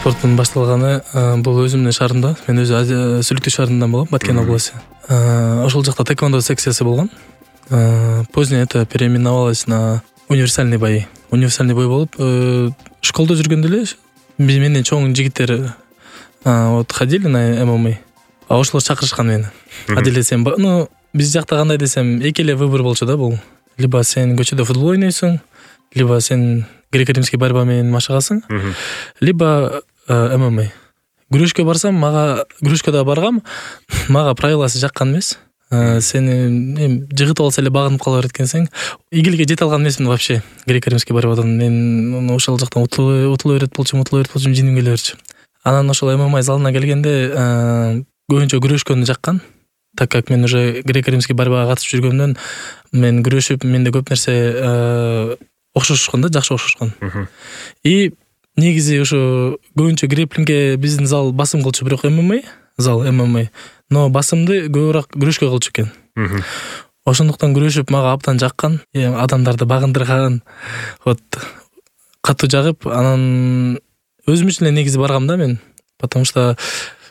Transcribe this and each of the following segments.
спорттун башталганы бул өзүмдүн шаарымда. Мен өзү Сүлүктүү шаарынан болом, Баткен областы. Ошол жакта тэквондо секциясы болгон. Позднее это переименовалось на универсальный бои. Универсальный бой болуп, школдо жүргөндө эле менден чоң жигиттер вот ходили на ММА. А ошолор чакырышкан мени. Делесем, ну биз жакта кандай десем, эки эле выбор болчу да бул. Либо сен көчөдө футбол ойнойсуң, либо сен греко-римский борьба менен машыгасың, либо ММА. Күрөшкө барсам, мага күрөшкө баргам, мага правиласы жаккан эмес. Сени жыгытып алса эле багынып кала берет экенсиң. Игиликке жете алган эмесмин вообще. Греко-римский борьбадан мен ошол жактан утула берет болчумун, жиним келе берчү. Анан ошол ММА залына келгенде көбүнчө күрөшкөнү жаккан. Так как мен уже греко-римский борьбага катышып жүргөндөн мен күрөшүп, менде көп нерсе окшошкон да, жакшы окшошкон. И негизи ошо көбүнчө греплингге биздин зал басым кылчу, бирок ММА, но басымды көбүрөөк күрөшкө кылчу экен. Ошондуктан күрөшүп мага абдан жаккан, адамдарды багындырган, вот катуу жагып, анан өзүм үчүн эле негизи баргам да мен. Потому что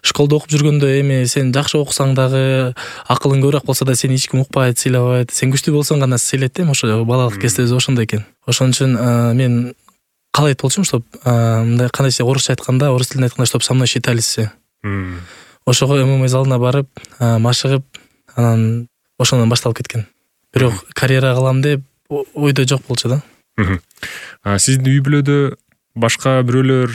школдо окуп жүргөндө эми сен жакшы окусаң дагы, акылың көбүрөөк болсо да сени эч ким укпайт, сыйлабайт. Сен күчтүү болсоң гана сыйлайт да, ошо балалык кезде ошондой экен. Ошон үчүн мен каалайт болчумун, чтоб мындай кандайча орусча айтканда, орус тилинде айтканда, чтоб со мной считались все. Ошого ММА залына барып, машыгып, анан ошондон башталып кеткен. Бирок карьера кылам деп ойдо жок болчу да. Сиздин үй бүлөдө башка бирөөлөр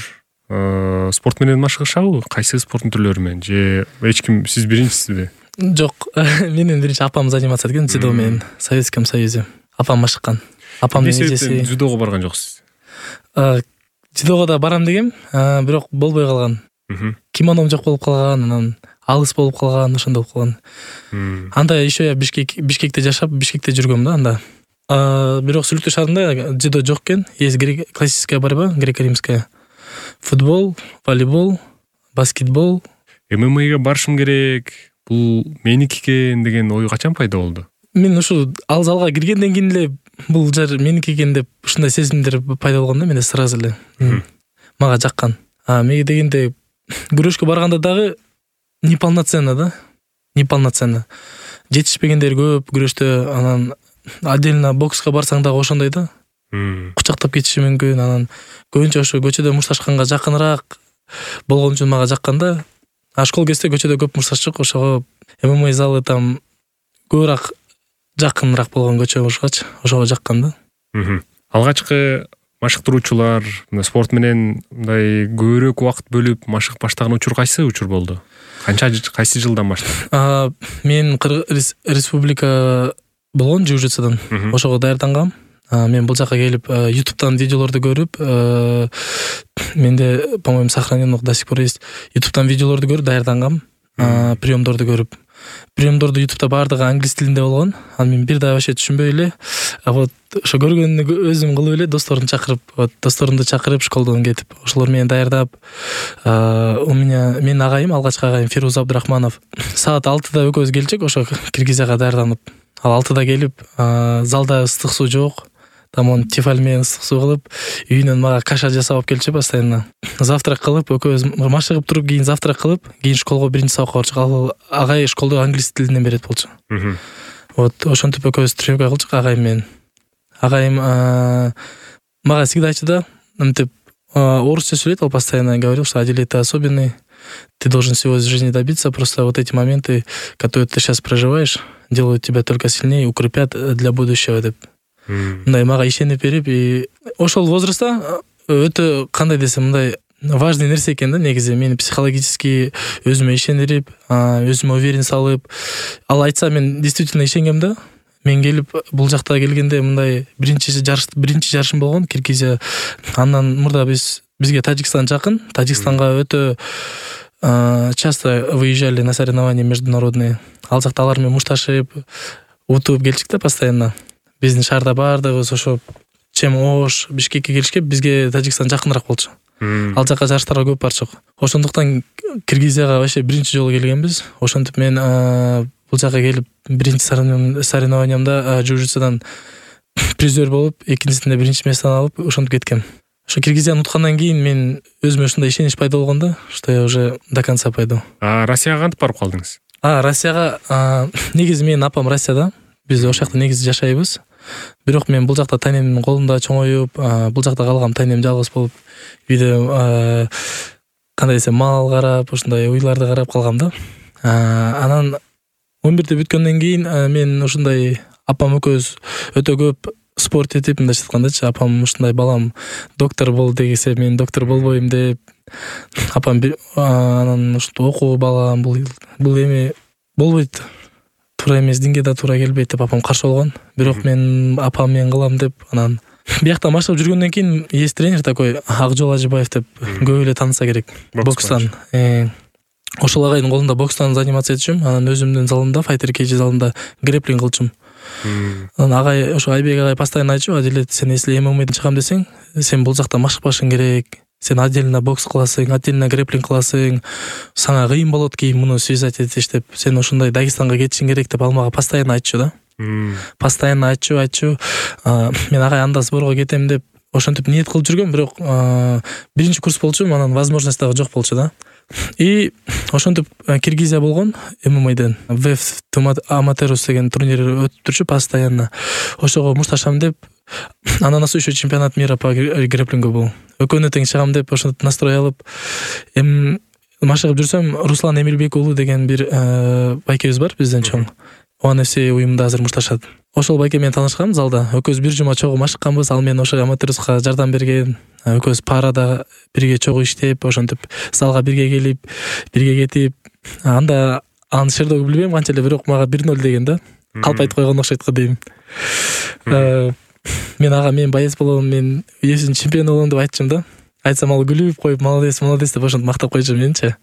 спорт менен машыгышабы? Кайсы спорттун түрлөрү менен? Же эч ким, сиз биринчисизби? Жок, менин биринчи апам заниматься эткен дзюдо менен, в Советском Союзе. Апам машыккан. Апамдын эжеси дзюдого барган жоксуз? Дзюдого да барам дегем, бирок болбой калган. Кимоном жок болуп калган, анан алыс болуп калган, ошондой болуп калган. Анда еще я Бишкекте жашап, Бишкекте жүргөм да анда. Бирок Сүлүктүү шаарында дзюдо жок экен. Есть классическая борьба, греко-римская. Футбол, волейбол, баскетбол. ММАга барышым керек, бул меники экен деген ой качан пайда болду? Мен ушу ал залга киргенден кийин эле бул жер меники экен деп ушундай сезимдер пайда болгон да менде сразу эле. Мага жаккан. Мега дегенде күрөшкө барганда дагы неполноценно да. Неполноценно. Жетишпегендер көп күрөштө, анан отдельно бокска барсаң дагы ошондой да. Кучактап кетиши мүмкүн, анан көбүнчө ошо көчөдө мушташканга жакыныраак болгон үчүн мага жаккан да. Школ кезде көчөдө көп мушташчык, ошого ММА залы там көбүрөөк жакыныраак болгон көчө болушкачы, ошого жаккан да. Алгачкы машыктыруучулар спорт менен мындай көбүрөөк убакыт бөлүп машыгып баштаган учур кайсы учур болду? Кайсы жылдан баштап? Мен республика болгон жужитсудан. Ошого даярдангам. Мен бул жака келип YouTube'дан видеолорду көрүп, менде, по-моему, сохранено до сих пор есть. YouTube'дан видеолорду көрүп даярдангам, приемдорду көрүп. Приемдорду YouTube'да бардыгы англис тилинде болгон. Анан мен бир да вообще түшүнбөй эле, вот ошо көргөнү өзүм кылып эле досторумду чакырып, школдон кетип, ошолор менен даярдап, менин агайым, алгачкы агайым Фирuz Абдурахманов саат 6-да экөөбүз келчек, ошо Киргизияга даярданып. Ал 6-да келип, залда ыстык суу жок. Там он тефаль менен ыстык суу кылып, үйүнөн мага каша жасап келчү постоянно. Завтрак кылып, экөөбүз машыгып туруп, кийин завтрак кылып, кийин школго биринчи сабакка барчык. Ал агай школдо англис тилинен берет болчу. Вот ошентип экөөбүз тренировка кылчык агайым менен. Агайым мага всегда айтчу да, мынтип орусча сүйлөйт, ал постоянно говорил, что Адиль, ты особенный, ты должен всего из жизни добиться, просто вот эти моменты, которые ты сейчас проживаешь, делают тебя только сильнее, укрепят для будущего деп. Мындай мага ишенип берип, и ошол возрастта өтө кандай десем, мындай важный нерсе экен да, негизи мени психологически өзүмө ишендирип, өзүмө уверен салып. Ал айтса мен действительно ишенгем да. Мен келип бул жакта келгенде мындай биринчи жарышым болгон Киргизия. Андан мурда бизге Тажикстан жакын. Тажикстанга өтө часто выезжали на соревнования международные. Ал жакта алар менен мушташып, утуп келчик да постоянно. Биздин шаарда бардыгыбыз ошо Чем-Ош, Бишкекке келишке бизге Тажикстан жакыныраак болчу. Ал жака жарыштарга көп барчык. Ошондуктан Киргизияга вообще биринчи жолу келгенбиз. Ошентип мен бул жака келип биринчи соревнованиямда жужитсудан призер болуп, экинчисинде биринчи место алып, ошентип кеткем. ошо Киргизияны уткандан кийин мен өзүмө ушундай ишенич пайда болгон да, что я уже до конца пойду. Россияга кантип барып калдыңыз? Россияга негизи менин апам Россияда. Биз ошол жакта негизи жашайбыз. Бирок мен бул жакта тайнемдин колунда чоңоюп, бул жакта калгам, тайнем жалгыз болуп, үйдө кандай десем, мал карап, ушундай уйларды карап калгам да. Анан 11-ти бүткөндөн кийин мен ушундай апам экөөбүз өтө көп спорт этип мындайча айткандачы, апам ушундай балам доктор бол дегисе мен доктор болбойм деп, апам анан ушинтип окуу балам, бул эми болбойт, туура эмес, динге да туура келбейт деп апам каршы болгон. Бирок мен апам менен кылам деп, анан биякта машыгып жүргөндөн кийин есть тренер такой Акжол Ажыбаев деп, көп эле тааныса керек, бокстан. Ошол агайдын колунда бокстан заниматься этчүм, анан өзүмдүн залымда, Fighter Cage залында грэплинг кылчумун. Анан агай, ошо Айбек агай постоянно айтчу, Адилет, сен если ММАдан чыгам десең, сен бул жакта машыкпашың керек. Сен отдельно бокс кыласың, отдельно грэплинг кыласың. Сага кыйын болот кийин муну связать этиш деп. Сен ошондой Дагестанга кетишиң керек деп ал мага постоянно айтчу да. Постоянно айтчу. Мен агай анда сборго кетем деп ошентип ниет кылып жүргөм, бирок биринчи курс болчумун, анан возможность дагы жок болчу да. И ошентип Киргизия болгон ММАдан. ВФ Аматерус деген турнир өтүп турчу постоянно. Ошого мушташам деп, анан еще чемпионат мира по грэплингу был. Экөөнө тең чыгам деп ошентип настрой алып, машыгып жүрсөм, Руслан Эмилбек уулу деген бир байкебиз бар бизден чоң. ОНФС уюмунда азыр мушташат. Ошол байке менен таанышкам залда. Экөөбүз бир жума чогуу машыкканбыз, ал мен ошо Аматеруска жардам берген. Экөөбүз парада бирге чогуу иштеп, ошентип залга бирге келип, бирге кетип. Анда анын шердоги билбейм канча эле, бирок мага 1-0 деген да. Калп айтып койгон окшойт го дейм. Мен боец болом, мен UFC чемпион болом деп айтчым да. Айтсам ал күлүп коюп, молодец деп ошентип мактап койчу менчи.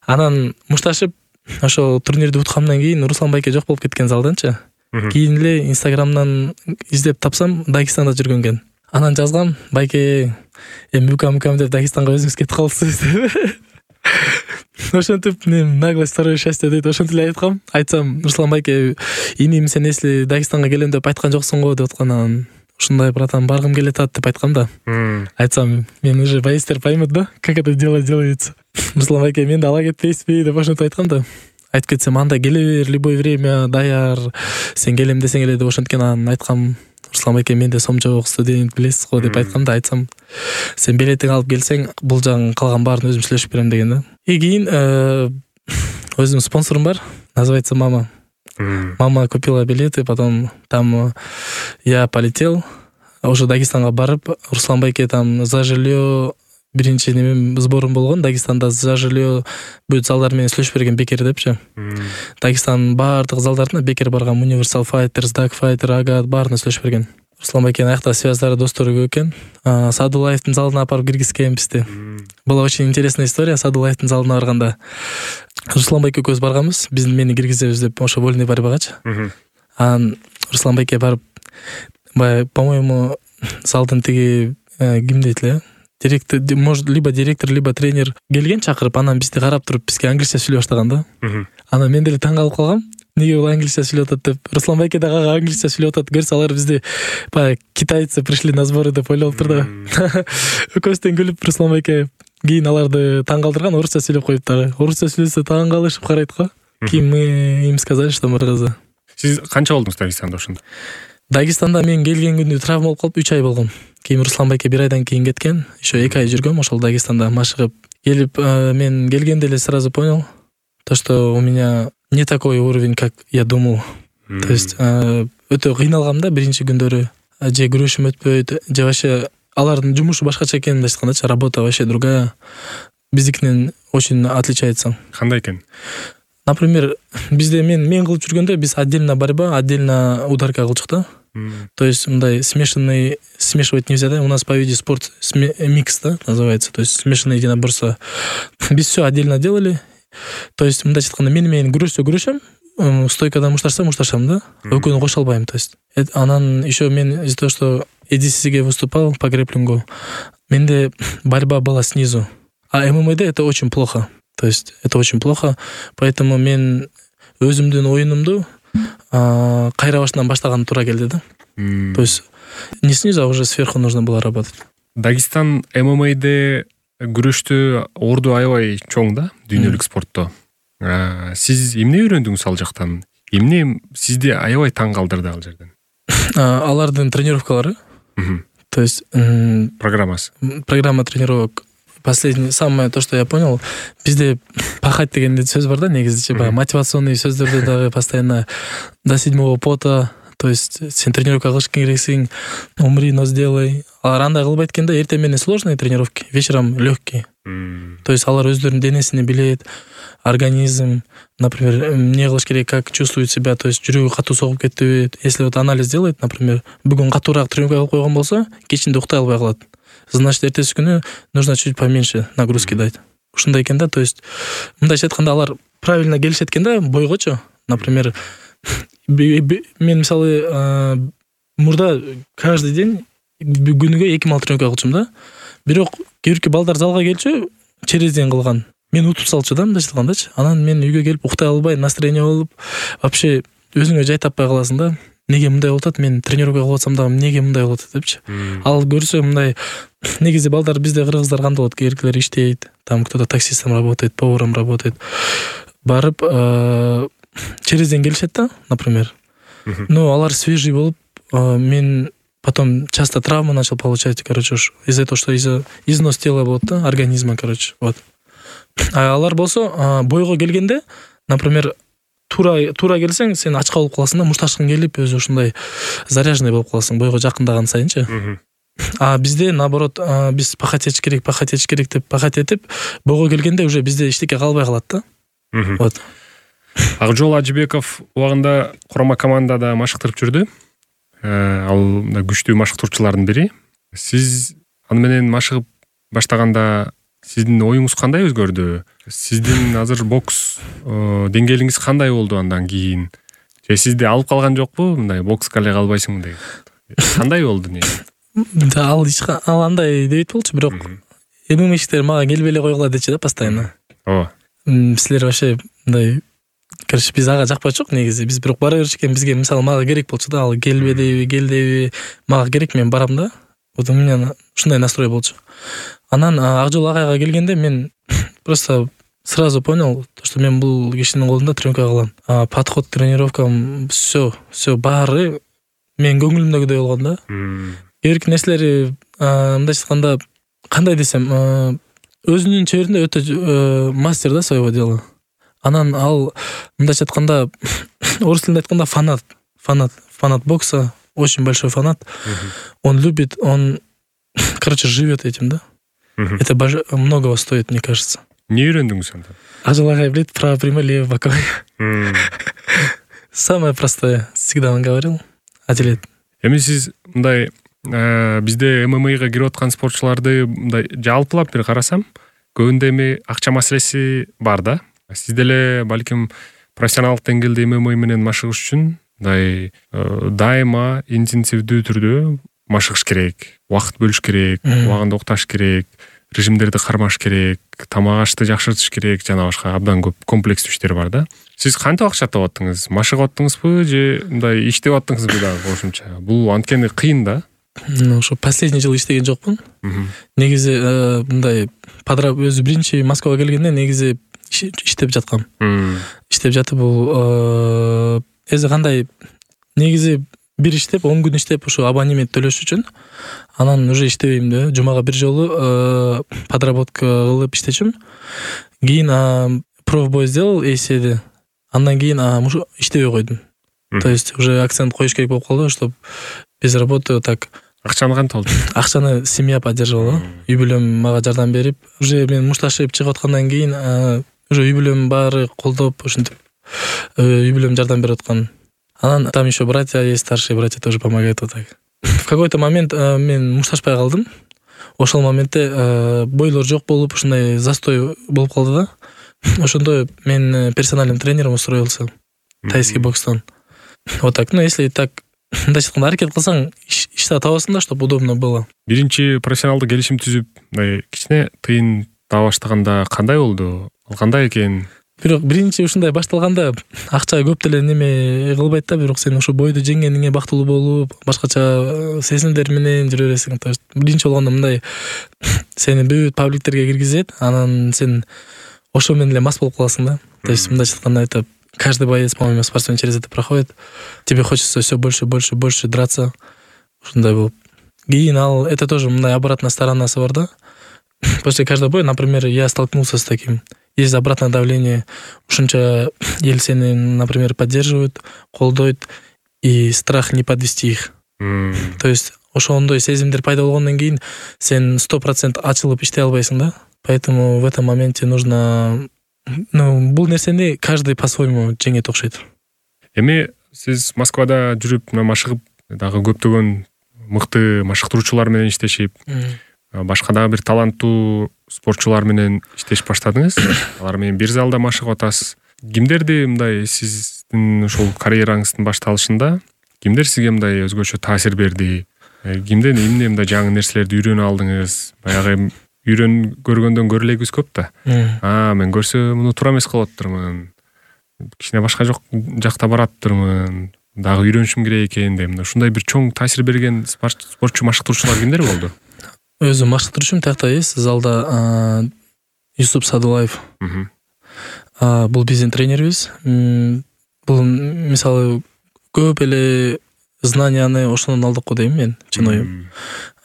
Анан мушташып, ошо турнирди уткандан кийин Руслан байке жок болуп кеткен залданчы. Кийин эле Инстаграмдан издеп тапсам, Дагестанда жүргөн экен. Анан жазгам, байке, мукам деп Дагестанга өзүңүз кетип калыпсыз деп. Ошентип мен наглость второе счастье дейт, ошентип эле айткам. Айтсам, Руслан байке, иним сен если Дагестанга келем деп айткан жоксуң го деп аткан. Ушундай, братан, баргым келет деп айткам да. Айтсам, мен уже боецтер поймут да, как это делается. Руслан байке, менди ала кетпейсизби деп ошентип айткам да. Айтып кетсем, анда келе бер, любой время даяр, сен келем десең эле деп ошенткен. Анан айткам, Руслан байке, менде сом жок, студент билесиз го деп айткам да. Айтсам, сен билетиң алып келсең, бул жагын калган баарын өзүм сүйлөшүп берем деген да. И кийин өзүм спонсорум бар, называется Мама. Мама купила билеты, потом там я полетел, уже Дагестанга барып, Руслан байке там за жилье биринчи немем сборум болгон. Дагестанда за жилье бүт залдар менен сүйлөшүп берген Бекер депчи. Дагестанын баардык залдарына Бекер барган, Universal Fighters, Dark Fighter, Агат баарына сүйлөшүп берген. Руслан байкенин аякта связьдары, достору көп экен. Садулаевдин залына апарып киргизген бизди. Была очень интересная история. Садулаевдин залына барганда Руслан байке экөөбүз барганбыз, мени киргизебиз деп ошо вольный борьбагачы. Анан Руслан байке барып, по-моему, залдын тиги ким дейт эле, директор, может, либо директор, либо тренер келген чакырып, анан бизди карап туруп бизге англисче сүйлөй баштаган да. Анан мен деле таң калып калгам. Неге бул англисче сүйлөп атат деп. Руслан байке дагы англисче сүйлөп атат. Көрсө алар бизди китайцы пришли на сборы деп ойлоптур да. Экөөбүздөн күлүп Руслан байке кийин аларды таң калтырган, орусча сүйлөп коюп дагы. Орусча сүйлөсө таң калышып карайт го. Кийин мы им сказали, что мы разы. Сиз канча болдуңуз Дагестанда ошондо? Дагестанда мен келген күндү травма болуп калып 3 ай болгом. Кийин Руслан байке 1 айдан кийин кеткен. Еще 2 ай жүргөм ошол Дагестанда машыгып. Келип, мен келгенде эле сразу понял, то что у меня не такой уровень, как я думал. То есть өтө кыйналгам да биринчи күндөрү. Же күрөшүм өтпөйт, же вообще алардын жумушу башкача экенин айткандачы, работа вообще другая. Биздикинен очень отличается. Кандай экен? Например, bizde men кылып жүргөндө биз отдельно борьба, отдельно ударка кылчык да. То есть мындай смешивать нельзя, да? У нас по виде спорт микс, да, называется. То есть смешанные единоборства. Biz все отдельно делали. То есть мындай айтканда мен менен күрөшөм, стойкадан мушташсам, да? Экөөнү кошо албайм, то есть. Анан еще мен из-за того, что EDCC'ге выступал по грэплингу, менде борьба была снизу. А ММА'да это очень плохо. То есть это очень плохо, поэтому мен өзүмдүн оюнумду кайра башынан баштаган туура келди да. То есть не снизу, а уже сверху нужно было работать. Дагестан ММА'де күрөштө орду аябай чоң да, дүйнөлүк спортто. Сиз эмне үйрөндүңүз ал жактан? Эмне сизди аябай таң калтырды ал жерден? Алардын тренировкалары. То есть программа тренировок. Последний, самое то, что я понял, бизде пахать деген сөз бар да, негизи баягы мотивационный сөздөрдө дагы постоянно до 7-го пота, то есть сен тренировка кылыш керексиң, умри, но сделай. Алар андай кылбайт экен да, эртең менен сложные тренировки, вечером легкие. То есть алар өздөрүнүн денесин билет, организм, например, эмне кылыш керек, как чувствует себя, то есть жүрөгү катуу согуп кетиби. Если вот анализ делает, например, бүгүн катуураак тренировка кылып койгон болсо, кечинде уктай албай калат. Значит, эртеси күнү нужно чуть поменьше нагрузки дать. Ушундай экен да, то есть мындайча айтканда алар правильно келишет экен да бойгочу. Например, мен мисалы мурда каждый день күнүгө 2 мал тренировка кылчумун да. Бирок кийинки балдар залга келчү, через день кылган. Мен утуп салчу да, мындайча айткандачы. Анан мен үйгө келип уктай албай, настроение болуп, вообще өзүңө жай таппай каласың да. Неге мындай болуп атат, мен тренировка кылып атсам дагы неге мындай болуп атат депчи. Ал көрсө мындай негизи балдар бизде кыргыздар кандай болот, эркелер иштейт, там кто-то таксистом работает, поваром работает. Барып через день келишет да, например. Но алар свежий болуп, мен потом часто травмы начал получать, короче, из-за того, что износ тела болот да, организма, короче, вот. А алар болсо бойго келгенде, например, тура келсең, сен ачка болуп каласың да, мушташкың келип, өзү ушундай заряженный болуп каласың бойго жакындаган сайынчы. А бизде наоборот, биз пахать этиш керек деп пахать этип, бойго келгенде уже бизде эчтеке калбай калат да. Вот. Акжол Ажыбеков убагында курама командада машыктырып жүрдү. Ал күчтүү машыктыруучулардын бири. Сиз аны менен машыгып баштаганда сиздин оюңуз кандай өзгөрдү? Сиздин азыр бокс деңгээлиңиз кандай болду андан кийин? Же сизди алып калган жокпу? Мындай бокска эле калбайсың деп. Кандай болду не? Ал андай дебейт болчу, бирок эмне иштер мага келбей эле койгула дечи да постоянно. Силер вообще мындай, короче, биз ага жакпай жок негизи. Биз бирок бара берчү экен, бизге мисалы мага керек болчу да, ал келбеди, мага керек, мен барам да. Вот у меня ушундай настрой болчу. Анан Акжол агайга келгенде мен просто сразу понял, что мен бул кишинин колунда тренировка кылам. Подход тренировкам все баары мен көңүлүмдөгүдөй болгон да. Эрки нерселери мындайча айтканда кандай десем, өзүнүн чеберинде өтө мастер да своего дела. Анан ал мындайча айтканда орус тилинде айтканда фанат бокса, очень большой фанат. Он любит, он, короче, живет этим, да. Это многого стоит, мне кажется. Не үйрөндүңүз анда? Акжол агай билет, право прямой, левый боковой. Самое простое. Всегда он говорил. Адилет. Эми сиз мындай бизде ММАга кирип аткан спортчуларды мындай жалпылап бир карасам, көбүндө эми акча маселеси бар да. Сиз деле балким профессионалдык деңгээлде ММА менен машыгыш үчүн мындай дайыма интенсивдүү түрдө машыгыш керек, убакыт бөлүш керек, убагында укташ керек, режимдерди кармаш керек, тамак ашты жакшыртыш керек, жана башка абдан көп комплекстүү иштер бар да. Сиз кантип акча таап аттыңыз? Машыгып аттыңызбы же мындай иштеп аттыңызбы дагы кошумча? Бул анткени кыйын да. Ошо последний жыл иштеген жокмун. Негизи мындай өзү биринчи Москвага келгенде негизи иштеп жаткам. Иштеп жатып бул эзе кандай негизи бир иштеп 10 күн иштеп ошо абонемент төлөш үчүн, анан уже иштебейм да. Жумага бир жолу подработка кылып иштечүм. Кийин профбой сделал эседи. Андан кийин иштебей койдум. То есть уже акцент коюш керек болуп калды, чтобы без работы так. Акчаны кантип алдың? Акчаны семья поддерживала. Үй бүлөм мага жардам берип, уже мен мушташып чыгып аткандан кийин уже үй бүлөм баары колдоп, ушинтип үй бүлөм жардам берип аткан. Анан там еще братья есть, старшие братья тоже помогают вот так. В какой-то момент мен мушташпай калдым. Ошол моментте бойлор жок болуп, ушундай застой болуп калды да. Ошондо мен персональным тренером устроился. Тайский бокстан. Вот так. Ну, если так, мындайча айтканда аракет кылсаң, ишти табасың да, чтобы удобно было. Биринчи профессионалдык келишим түзүп, кичине тыйын таба баштаганда кандай болду? Ал кандай экен? бирок биринчи ушундай башталганда акча көп деле неме кылбайт да, бирок сен ошо бойду жеңгениңе бактылуу болуп, башкача сезимдер менен жүрө бересиң. То есть биринчи болгондо мындай сени бүт пабликтерге киргизет, анан сен ошо менен эле мас болуп каласың да. То есть мындайча айтканда айтып, каждый боец, по-моему, спортсмен через это проходит. Тебе хочется все больше драться. Ушундай болуп. Кийин ал это тоже мындай обратная сторонасы бар да. После каждого боя, например, я столкнулся с таким. Есть обратное давление. Ушунча эл сени, например, поддерживают, колдойт, и страх не подвести их. То есть ошондой сезимдер пайда болгондон кийин сен 100% ачылып иштей албайсың да. Поэтому в этом моменте нужно, бул нерсени каждый по-своему жеңет окшойт. Эми сиз Москвада жүрүп, машыгып, дагы көптөгөн мыкты машыктыруучулар менен иштешип, башка дагы бир таланттуу спортчулар менен иштешип баштадыңыз. Алар менен бир залда машыгып атасыз. Кимдерди мындай сиздин ушул карьераңыздын башталышында кимдер сизге мындай өзгөчө таасир берди? Кимден эмне мындай жаңы нерселерди үйрөнө алдыңыз? Баягы көргөндөн көрө элегибиз көп да. Мен көрсө муну туура эмес кылып атырмын. Кичине башка жакта бараттырмын. Дагы үйрөнүшүм керек экен деп. Ушундай бир чоң таасир берген спортчу машыктыруучулар кимдер болду? Өзүм машыктыруучум тиякта эс залда Юсуп Садулаев. Бул биздин тренерибиз. Бул мисалы көп эле знанияны ошондон алдык го дейм мен, чын оюм.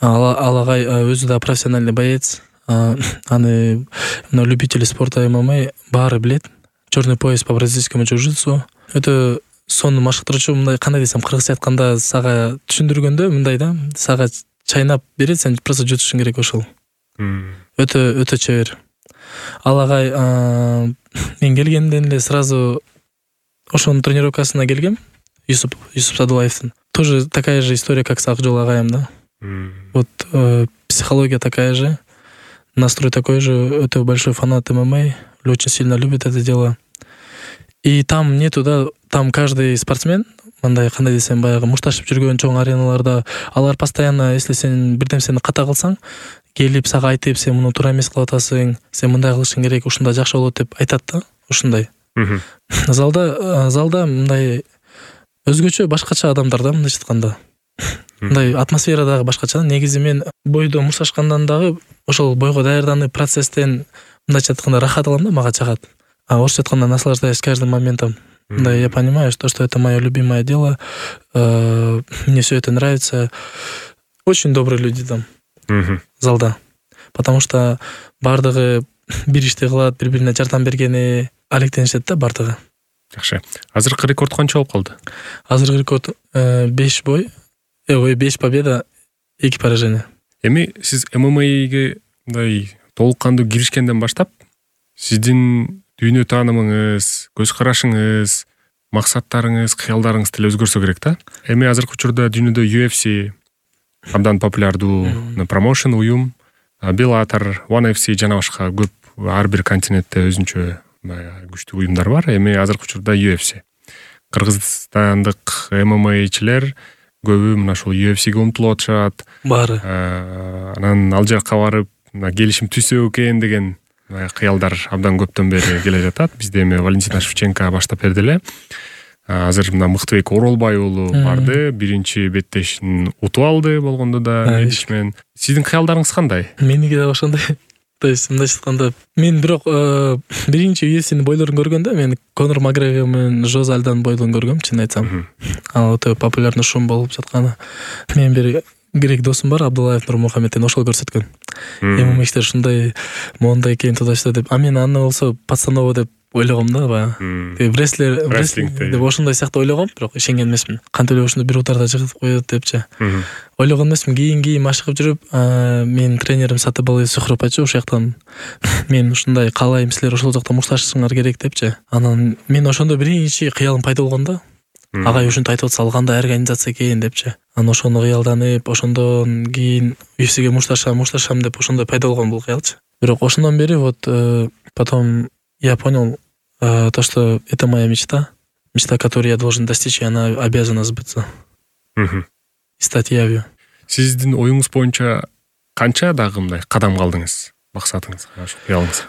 Ал агай өзү да профессиональный боец. Аны любители спорта ММА баары билет. Черный пояс по бразильскому джиу-джитсу. Это сонун машыктыруучу, мындай кандай десем, кыргызча айтканда сага түшүндүргөндө мындай да, сага чайнап берет, сен просто жутушуң керек ошол. Өтө чебер. Ал агай мен келгенден эле сразу ошонун тренировкасына келгем. Юсуп Садулаевдин. Тоже такая же история, как с Акжол агайым, да. Вот психология такая же, настрой такой же, это большой фанат ММА, очень сильно любит это дело. И там нету, да, там каждый спортсмен, мындай кандай десем, баягы мушташып жүргөн чоң ареналарда, алар постоянно, если сен бирдем сени ката кылсаң, келип сага айтып, сен муну туура эмес кылып атасың, сен мындай кылышың керек, ушундай жакшы болот деп айтат да, ушундай. Залда мындай өзгөчө башкача адамдар да, мындайча айтканда. Мындай атмосфера дагы башкача. Негизи мен бойдо мушташкандан дагы ошол бойго даярданып процесстен мындайча айтканда рахат алам да, мага чагат. Орусча айтканда наслаждаюсь каждым моментом. Да, я понимаю, что это мое любимое дело. Мне все это нравится. Очень добрые люди там. Залда. Потому что бардыгы бир ишти кылат, бири-бирине жардам бергени алектенишет да бардыгы. Жакшы. Азыркы рекорд канча болуп калды? Азыркы рекорд 5 бой. 5 победа, 2 поражения. Эми сиз ММАге мындай толук кандуу киришкенден баштап, сиздин дүйнө таанымыңыз, көз карашыңыз, максаттарыңыз, кыялдарыңыз деле өзгөрсө керек да. Эми азыркы учурда дүйнөдө UFC абдан популярдуу промоушен уюм, Bellator, One FC жана башка көп ар бир континентте өзүнчө күчтүү уюмдар бар. Эми азыркы учурда UFC. Кыргызстандык ММАчилер көбү мына ушул UFC-ге умтулуп атышат. Баары. Анан ал жакка барып, келишим түзсө экен деген кыялдар абдан көптөн бери келе жатат. Бизде эми Валентина Шевченко баштап берди эле. Азыр мына Мыктыбек Оролбай уулу барды, биринчи беттешин утуп алды болгондо да медичмен. Сиздин кыялдарыңыз кандай? Меники да ошондой. То есть мындайча айтканда, мен бирок биринчи UFC-нин бойлорун көргөндө мен Конор Макгрегор менен Жозе Альдонун бойлорун көргөм, чын айтсам. Ал өтө популярный шум болуп жатканы. Мен бир грек досум бар, Абдуллаев Нурмухаммеддин, ошол көрсөткөн. ММАчтер ушундай моундай экен, туда-сюда деп. А мен аны болсо пацаново деп ойлогом да, баягы. Рестлинг деп ошондой сыяктуу ойлогом, бирок ишенген эмесмин. Кантип эле ушуну бир утарда жыгып коет депчи. Ойлогон эмесмин. Кийин машыгып жүрүп, менин тренерим Сатыбалый Сухров айтчу, ошол жактан мен ушундай каалайм, силер ошол жакта мушташыңар керек депчи. Анан мен ошондо биринчи кыялым пайда болгон да. Агай ушинтип айтып атса, ал кандай организация экен депчи. Анан ошону кыялданып, ошондон кийин UFC-ге мушташам деп ошондой пайда болгон бул кыялчы. Бирок ошондон бери вот потом я понял то, что это моя мечта, которую я должен достичь, и она обязана сбыться. И стать явью. Сиздин оюңуз боюнча канча дагы мындай кадам калдыңыз? максатыңыз, ошо кыялыңыз?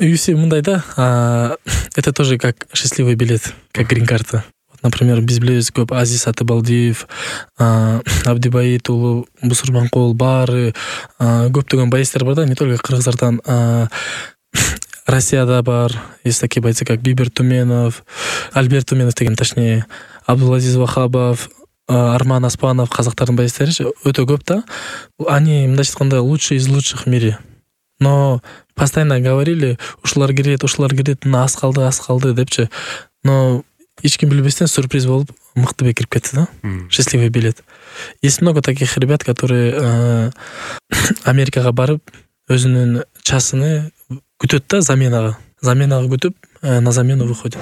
UFC мындай да, это тоже как счастливый билет, как грин-карта. Например, биз билебиз көп Азиз Атыбалдиев, Абдибаит уулу Бусурманкул баары көптөгөн боецтер бар да, не только кыргыздардан, Россияда бар. Есть такие бойцы, как Бибер Туменов, Альберт Туменов деген, точнее, Абдулазиз Вахабов, Арман Аспанов, казактардын боецтери өтө көп да. Они, мындайча айтканда, лучшие из лучших в мире. Но постоянно говорили, ушулар кирет, мына аз калды депчи. Но эч ким билбестен сюрприз болуп мыктыбек кирип кетти да. Счастливый билет. Есть много таких ребят, которые Америкага барып өзүнүн часыны күтөт да, заменага күтүп, на замену выходит.